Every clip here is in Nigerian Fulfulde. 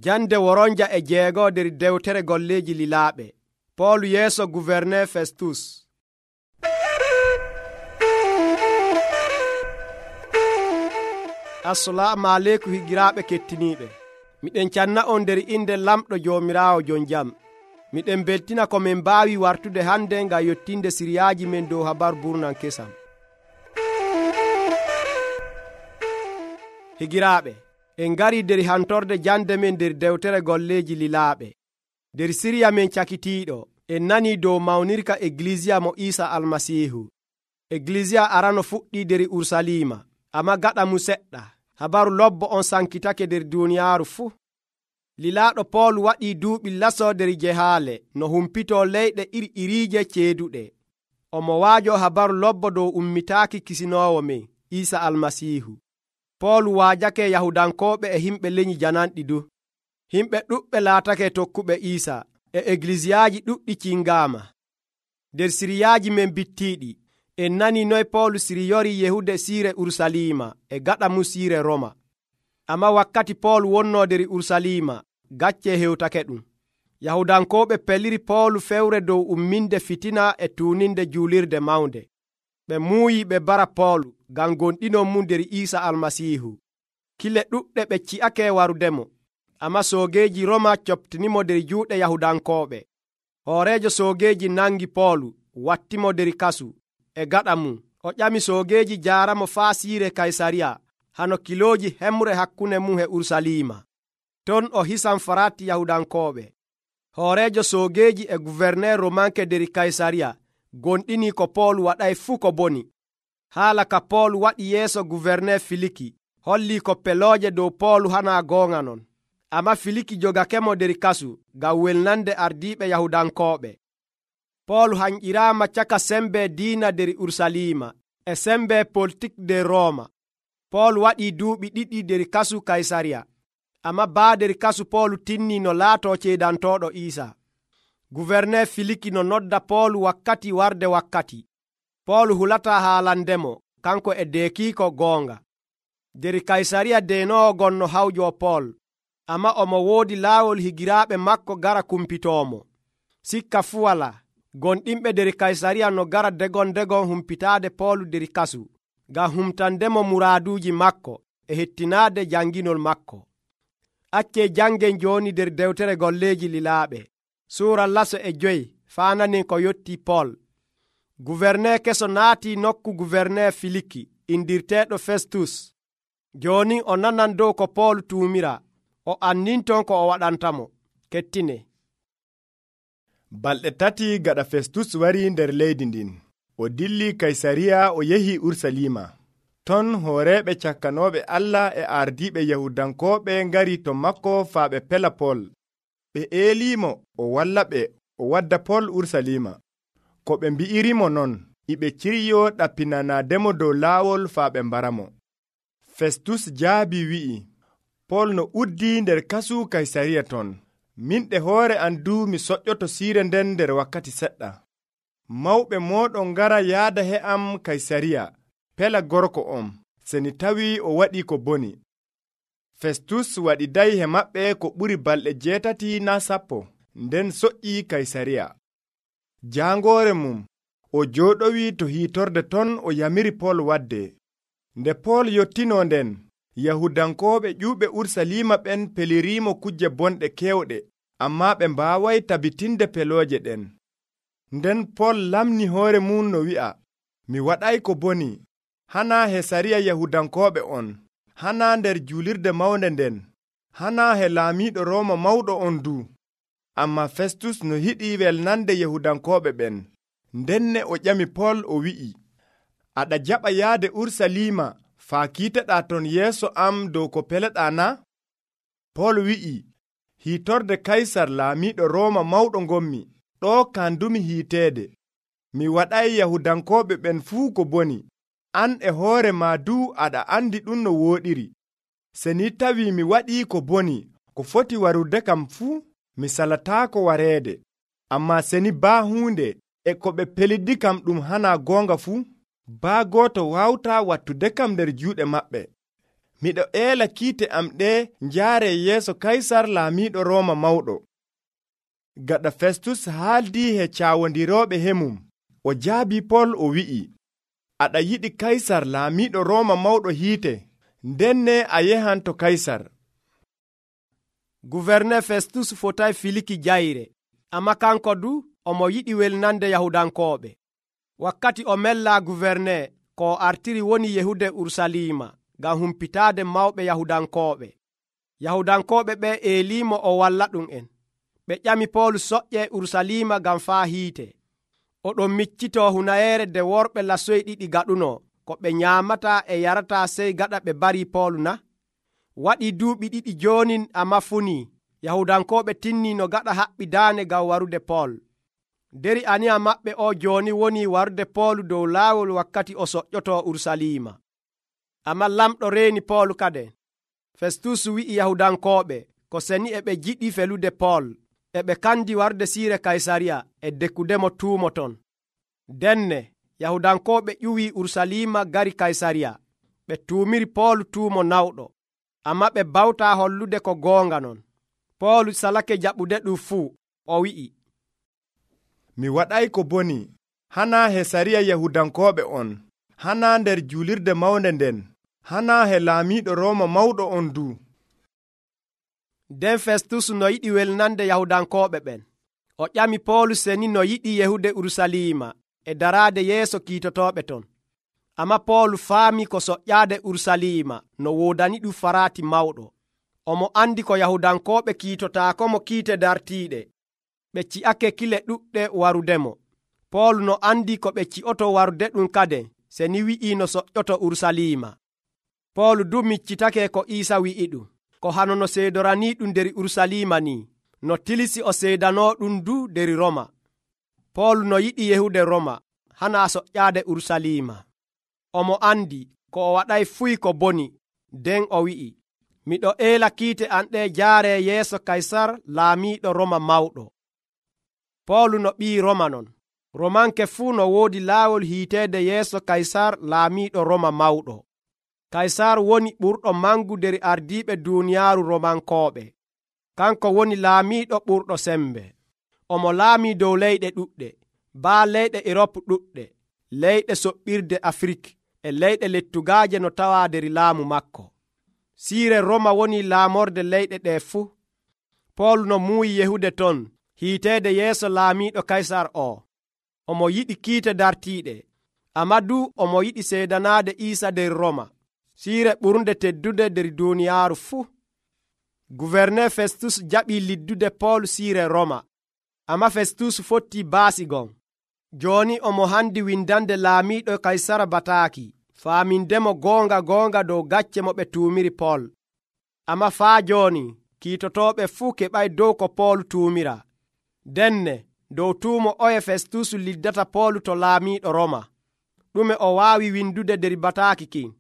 Jande woronja e jeego nder dewtere golleeji lilaaɓe. Poolu yeeso gouverneur Festus. Assalamu aleykum higiraaɓe kettiniiɓe. Miɗen canna on nder inde lamɗo Joomiraawo jon jam. Miɗen beltina ko min mbaawi wartude hande ngam yottinde siriyaaji men dow habaru burnan kesam. Higiraaɓe, en ngari nder hantorde jande men nder dewtere golleeji lilaaɓe. Nder siriya men cakitiiɗo, en nani dow mawnirka Eglisiya mo Iisa Almasiihu. Eglisiya arano fuɗɗi nder Urusalima, amma gaɗa mu seɗɗa, habaru lobbo on sankitake nder duniyaaru fuu. Lilaaɗo Poolu waɗii duuɓi laso nder jehaale no humpitoo leyɗe iriiriije ceeduɗe. Omo waajo habaru lobbo dow ummitaaki kisinoowo men Iisa Almasiihu. Poolu waajake Yahudankooɓe e himɓe lenyi jananɗi du. Himɓe ɗuɓɓe laatake tokkuɓe Iisa, e eglisiyaaji ɗuɗɗi cingaama. Nder siriyaaji men bittiiɗi, en nani noy Poolu siriyori yehude siire Urusalima e gaɗa mu siire Roma. Amma wakkati Poolu wonnoo nder Urusalima, gacce hewtake ɗum. Yahudankooɓe peliri Poolu fewre dow umminde fitina e tuuninde juulirde mawnde. Ɓe muuyi ɓe bara Poolu ngam gonɗinon mu nder Iisa Almasiihu. Kile ɗuɗɗe ɓe ci'ake warudemo, amma soogeeji Roma coptinimo nder juuɗe Yahudankooɓe. Hooreejo soogeeji nangi Poolu, wattimo nder kasu, e gaɗa mum o ƴami soogeeji jaaramo faa siire Kaysariya, hano kilooji hemre hakkunde mum e Urusalima. Ton o hisan farati Yahudankooɓe. Hooreejo soogeeji e gouverneur Romanke nder Kaysariya gonɗini ko Poolu waɗay fuu ko boni. Haala ka Poolu waɗi yeeso gouverneur Filiki holli ko pelooje dow Poolu hana goonga non. Amma Filiki jogakemo nder kasu ngam welnande ardiiɓe Yahudankooɓe. Poolu hanƴiraama caka sembe diina nder Urusalima e sembe politik nder Roma. Poolu waɗii duuɓi 2 nder kasu Kaysariya, amma baa nder kasu Poolu tinni no laatoo ceedantooɗo Iisa. Gouverneur Filiki no nodda Poolu wakkati warde wakkati. Poolu hulataa haalandemo kanko e deekiiko goonga. Nder Kaysariya deenoowo gonno hawjo Pool, amma omo woodi laawol higiraaɓe makko gara kumpitoomo. Sikka fuu walaa, gonɗinɓe nder Kaysariya no gara degon humpitaade Poolu nder kasu, ngam humtandemo muraaduuji makko e hettinaade janginol makko. Accee jangen jooni nder dewtere golleeji lilaaɓe. Suura laso e 5 faananin ko yotti Pool. Gouverneur keso naatii nokku gouverneur Filiki indirteeɗo Festus. Jooni o nanan dow ko Poolu tuumira, o anninton ko o waɗantamo. Kettine. Balɗe 3 gaɗa Festus wari nder leydi ndin. O dilli Kaysariya o yehi Urusalima. Ton hooreeɓe cakkanooɓe Allah e ardiiɓe Yahudankooɓe ngari to makko faa ɓe pela Pool. Ɓe eelimo o walla ɓe o wadda Pool Urusalima. Ko ɓe mbi'irimo non, iɓe ciryo ɗappinanaademo dow laawol faa ɓe mbaramo. Festus jaabi wi'i, Pool no uddi nder kasu Kaysariya ton. Min ɗe hoore am du mi soƴƴoto siire nden nder wakkati seɗɗa. Mawɓe mooɗon ngara yaada he am Kaysariya, pela gorko on, seni tawi o waɗi ko boni. Festus waɗiday he maɓɓe ko ɓuri balɗe 8 naa 10, nden soƴƴi Kaysariya. Jaangoore mum, o jooɗowi to hiitorde ton o yamiri Pool wadde. Nde Pool yottino nden, Yahudankooɓe ƴuuɓe Urusalima ɓen peliriimo kujje bonɗe kewɗe, amma ɓe mbaaway tabitinde pelooje ɗen. Nden Pool lamni hoore mum no wi'a, mi waɗay ko boni, hana he sariya Yahudankooɓe on, hana nder juulirde mawnde nden, hana he laamiiɗo Rooma mawɗo on du. Amma Festus no yiɗi welnande Yahudankooɓe ɓen. Ndenne o ƴami Pool o wi'i, aɗa jaɓa yaade Urusalima faa kiiteɗaa ton yeeso am dow ko peleɗaa na? Pool wi'i, hiitorde Kaysar laamiiɗo Rooma mawɗo ngommi, ɗo kandumi hiiteede. Mi waɗay Yahudankooɓe ɓen fuu ko boni. An e hoore maa du aɗa andi ɗum no wooɗiri. Se ni tawi mi waɗii ko boni, ko foti warude kam fuu, mi salataako wareede. Amma se ni baa huunde e ko ɓe pelidi kam ɗum hana goonga fuu, baa gooto wawta wattude kam nder juuɗe maɓɓe. miɗo eela kiite am ɗe njaare yeeso kaysar laamiiɗo Rooma mawɗo. Gaɗa Festus haaldii he caawondirooɓe hemum, o jaabi Pol o wi'i, aɗa yiɗi kaysar laamiiɗo Rooma mawɗo hiite, ndenne a yehan to kaysar. Gouverneur Festus fotay filiki jayre, amma kanko du omo yiɗi welnande Yahudankooɓe. Wakkati o mella gouverneur ko artiri woni yehude Urusalima ngam humpitaade mawɓe Yahudankooɓe. Yahudankooɓe ɓe eelimo o walla ɗum en. Ɓe ƴami Pol soƴƴe Urusalima ngam faa hiite. Oɗon miccitoo hunayeere nde worɓe lasoyi ɗiɗi gaɗuno ko ɓe nyaamata e yarata sey gaɗa ɓe barii Pol na? Waɗii duuɓi 2 jooni amma funii Yahudankooɓe tinnii no gaɗa haɓɓidaane ngam warude Pol. Deri aniya maɓɓe o jooni woni warude Pol dow laawol wakkati o soƴƴotoo Urusalima. Amma lamɗo reeni Pol kaden. Festus wi'i Yahudankooɓe ko seni e ɓe jiɗi felude Pol, e ɓe kandi warde siire Kaysariya e dekkudemo tuumo ton. Denne Yahudankooɓe ƴuwii Urusalima gari Kaysariya. Ɓe tuumiri Pol tuumo nawɗo, amma ɓe bawtaa hollude ko goonga non. Pol salake jaɓude ɗum fuu, o wi'i, mi waɗay ko boni, hanaa he sariya Yahudankooɓe on, hanaa nder juulirde mawnde nden, hanaa he laamiiɗo Rooma mawɗo on du. Nden Festus no yiɗi welnande Yahudankooɓe ɓen. O ƴami Pol seni no yiɗi yehude Urusalima e daraade yeeso kiitotooɓe ton. Amma Pol faami ko soƴƴaade Urusalima no woodani ɗum faraati mawɗo. Omo andi ko Yahudankooɓe kiitotaakomo kiite dartiiɗe. Ɓe ci'ake kile ɗuɗɗe warudemo. Pol no andi ko ɓe ci'oto warude ɗum kade seni wi'i no soƴƴoto Urusalima. Pol du miccitake ko Iisa wi'i ɗum, ko hanono seedoranii ɗum der Urusalima ni, no tilisi o seedanoo ɗum du der Roma. Pol no yiɗi yehude Roma, hanaa soƴƴaade Urusalima. Omo andi ko o waɗay fuy ko boni, nden o wi'i, miɗo eela kiite an ɗe jaare yeeso Kaysar laamiiɗo Roma mawɗo. Pol no ɓii Roma non. Romanke fuu no woodi laawol hiiteede yeeso Kaysar laamiiɗo Roma mawɗo. Kaysar woni ɓurɗo mangu der ardiiɓe duuniyaaru Romankooɓe. Kanko woni laamiiɗo ɓurɗo sembe. Omo laamii dow leyɗe ɗuɗɗe, baa leyɗe Erop ɗuɗɗe, leyɗe soɓɓirde Afrik e leyɗe lettugaaje no tawaa der laamu makko. Siire Roma woni laamorde leyɗe ɗe fuu. Pol no muuyi yehude ton hiiteede yeeso laamiiɗo Kaysar o. Omo yiɗi kiite dartiiɗe, amma du omo yiɗi seedanaade Iisa der Roma, siire ɓurnde teddude der duuniyaaru fuu. Gouverneur Festus jaɓii liddude Pol siire Roma, amma Festus fottii baasi gon. Jooni omo handi windande laamiiɗo Kaysara bataaki, faamindemo goonga dow gacce mo ɓe tuumiri Pol. Amma faa jooni kiitotooɓe fuu keɓay dow ko Pol tuumira. Denne dow tuumo oye Festus liddata Pol to laamiiɗo Roma. Ɗume o waawi windude der bataaki kin?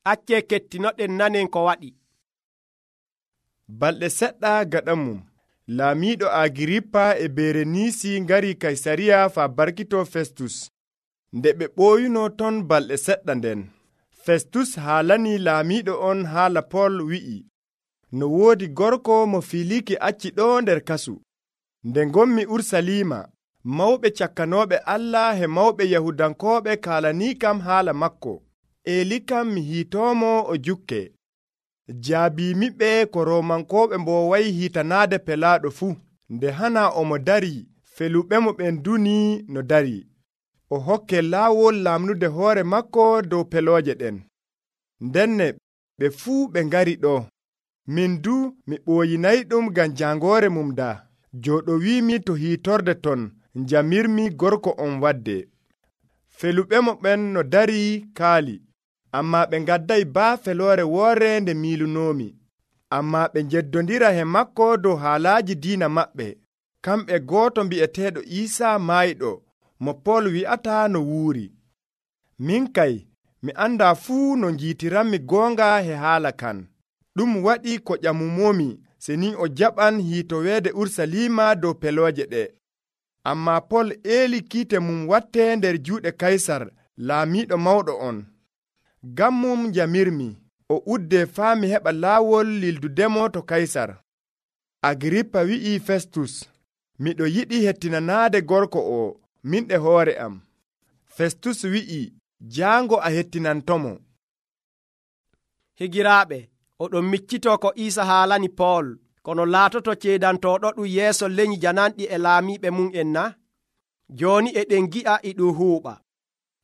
Accee kettinoɗen nanen ko waɗi. Balɗe seɗɗa gaɗa mum, laamiiɗo Agirippa e Bereniisi ngari Kaysariya faa barkitoo Festus. Nde ɓe ɓooyuno ton balɗe seɗɗa nden, Festus haalanii laamiiɗo on haala Pol wi'i, no woodi gorko mo Filiki acci ɗo nder kasu. Nde ngommi Urusalima, mawɓe cakkanooɓe Allah e mawɓe Yahudankooɓe kaalanii kam haala makko. Eli kam mi hiitoomo o jukke. Jaabiimiɓe ko Roomankooɓe mbooway hiitanaade pelaaɗo fuu. Nde hana omo darii, feluɓemo ɓen dunii no darii. O hokke laawol laamnude hoore makko dow pelooje ɗen. Ndenne ɓe fuu ɓe ngari ɗo. Min du mi ɓooyinayɗum ngam jangoore mum daa. Jooɗowiimi to hiitorde ton, njamirmi gorko on wadde. Feluɓemo ɓen no darii kaali, amma ɓe ngadday baa feloore woore nde miilunoomi. Amma ɓe njeddondira he makko dow haalaaji diina maɓɓe. Kamɓe gooto mbi'eteeɗo Iisa maayɗo, mo Pol wi'ata no wuuri. Min kay, mi andaa fuu no njiitiranmi goonga he haala kan. Ɗum waɗi ko ƴamumomi seni o jaɓan hiitoweede Urusalima dow pelooje ɗe. Amma Pol eeli kiite mum watte nder juuɗe Kaysar, laamiiɗo mawɗo on. Ngam mum njamirmi, o udde faa mi heɓa laawol lildudemo to Kaysar. Agirippa wi'i Festus, miɗo yiɗi hettinanaade gorko o min e hoore am. Festus wi'i, jaango a hettinantomo. Higiraaɓe, oɗon miccitoo ko Iisa haalani Pool, kono laatoto ceedantoɗo ɗum yeeso leñi jananɗi e laamiiɓe mum en na? Jooni eɗen gi'a e ɗum huuɓa.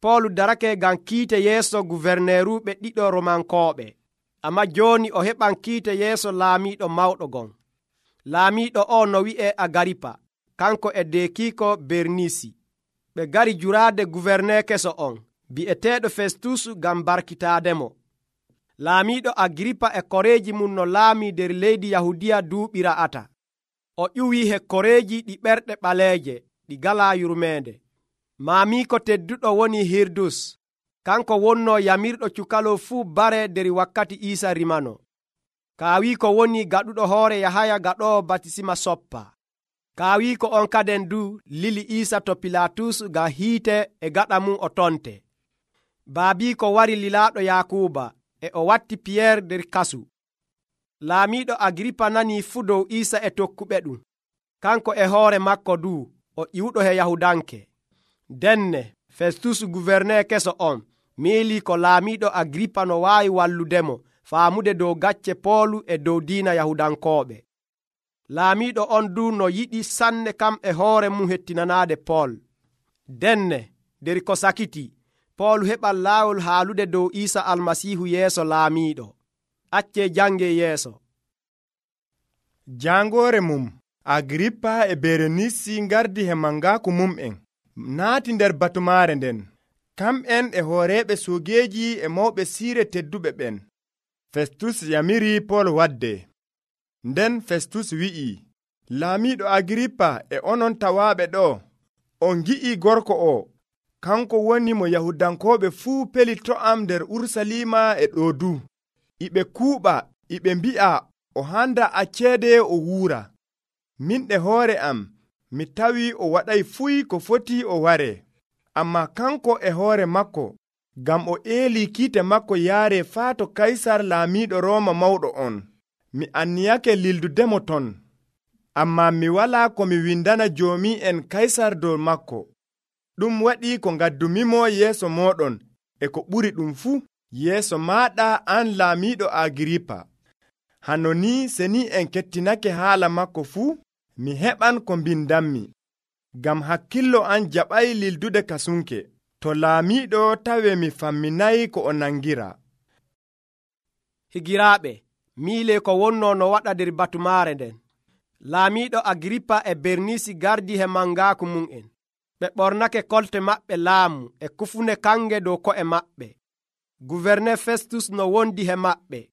Pool darake ngam kiite yeeso guverneeruɓe ɗiɗo Romankooɓe, ammaa jooni o heɓan kiite yeeso laamiiɗo mawɗo gon. Laamiiɗo o no wi'e Agaripa, kanko e deekiiko Bernisi. Ɓe gari juraade guverne keso on, bi'eteeɗo Festus ngam barkitaademo. Laamiiɗo Agiripa e koreeji mum no laamii nder leydi Yahudiya duuɓi ra'ata. O ƴuwii koreeji ɗi ɓerɗe ɓaleeje ɗi galaa yurmeende. Maamiiko tedduɗo woni Hirdus, kanko wonnoo yamirɗo cukalo fuu bare nder wakkati Iisa rimano. Kaawiiko woni gaɗuɗo hoore Yahaya gaɗoowo batisima soppa. Kaawiiko on kaden du lili Iisa to Pilaatus ngam hiite e gaɗa mum o tonte. Baabiiko wari lilaaɗo Yaakuuba, e o watti Piyeer nder kasu. Laamiiɗo Agiripa nanii fuu dow Iisa e tokkuɓe ɗum. Kanko e hoore makko du o ƴiwɗo he Yahudanke. Denne Festus guverne keso on miilii ko laamiiɗo Agiripa no waawi walludemo faamude dow gacce Poolu e dow diina Yahudankooɓe. Laamiiɗo on du no yiɗi sanne kam e hoore mum hettinanaade Pool. Denne nder ko sakiti Pool heɓan laawol haalude dow Iisa Almasiihu yeeso laamiiɗo. Accee jange yeeso. Jangoore mum Agirippa e Berenisi ngardi he mangaaku mum'en naati nder batumaare nden, kam'en e hooreeɓe soogeeji e mawɓe siire tedduɓe ɓen. Festus yamiri Pool wadde. Nden Festus wi'i, Laamiiɗo Agirippa e onon tawaaɓe ɗo, on gi'ii gorko o, kanko woni mo Yahudankooɓe fuu pelito am nder Urusalima e ɗo du. Iɓe kuuɓa, iɓe mbi'a o handa acceede o wuura. Min e hoore am, mi tawi o waɗay fuy ko foti o ware. Ammaa kanko e hoore makko, ngam o eelii kiite makko yaare faa to Kaysar laamiiɗo Rooma mawɗo on. Mi anniyake lildudemo ton. Ammaa mi walaa ko mi windana joomi'en Kaysar dow makko. Ɗum waɗi ko ngaddumimo yeeso mooɗon e ko ɓuri ɗum fuu, yeeso maaɗa an laamiiɗo Agirippa. Hano ni seni en kettinake haala makko fuu, mi heɓan ko mbindanmi, ngam hakkillo an jaɓay lildude kasunke. To laamiiɗo tawe mi famminayi ko o nangira. Higiraaɓe, miile ko wonnoo no waɗa nder batumaare nden. Laamiiɗo Agirippa e Bernisi gardi he mangaaku mum'en. Ɓe ɓornake kolte maɓɓe laamu e kufune kange dow ko'e maɓɓe. Guverne Festus no wondi he maɓɓe.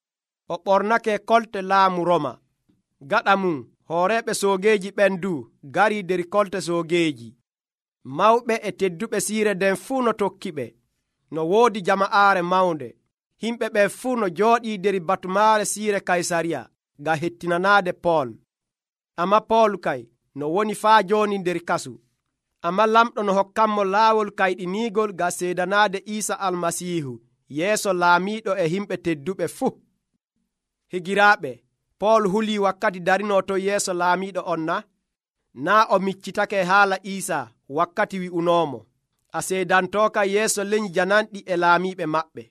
O ɓornake kolte laamu Roma. Gaɗa mum, hooreeɓe soogeeji ɓen du gari nder kolte soogeeji. Mawɓe e tedduɓe siire nden fuu no tokkiɓe. No woodi jama'aare mawnde. Himɓe ɓe fuu no jooɗii nder batumaare siire Kaysariya ngam hettinanaade Pool. Amma Pool kay no woni faa jooni nder kasu. Amma lamɗo no hokkanmo laawol kayɗiniigol ngam seedanaade Iisa Almasiihu yeeso laamiiɗo e himɓe tedduɓe fuu. Higiraaɓe, Pool hulii wakkati darinoo to yeeso laamiiɗo on na? Naa o miccitake haala Iisa wakkati wi'unoomo, a seedantooka yeeso leñi jananɗi e laamiiɓe maɓɓe.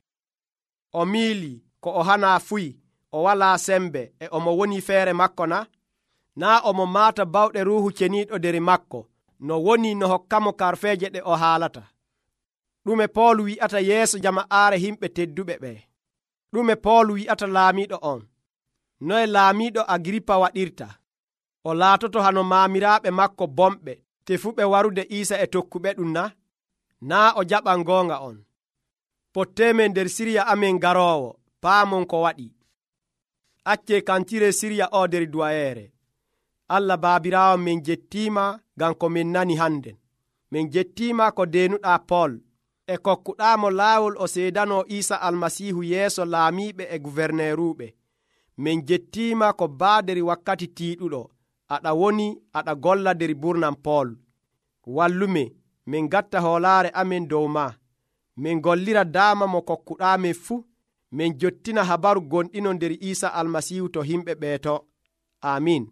O miilii ko o hanaa fuy, o walaa sembe e omo woni feere makko na? Naa omo maata bawɗe Ruuhu Ceniiɗo nder makko, no woni no hokkamo karfeeje ɗe o haalata. Ɗume Pool wi'ata yeeso jama'aare himɓe tedduɓe ɓe? Ɗume Pool wi'ata laamiiɗo on? Noye laamiiɗo Agirippa waɗirta? O laatoto hano maamiraaɓe makko bomɓe tefuɓe warude Iisa e tokkuɓe ɗum na? Naa o jaɓan goonga on. Potteemen nder siriya amen garoowo, paamon ko waɗi. Accee kantire siriya o nder duwayeere. Allah baabiraawo min jettiima ngam ko min nani handen. Min jettiima ko deenuɗaa Pool e kokkuɗaamo laawol o seedanoo Iisa Almasiihu yeeso laamiiɓe e guverneeruuɓe. Min jettiima ko baader wakkati tiiɗuɗo aɗa woni aɗa golla nder burnam Pool. Wallume min gatta hoolaare amen dow maa. Min gollira daama mo kokkuɗaamen fuu. min jottina habaru gonɗino nder Isa almasihu to himɓe ɓeeto. Amin.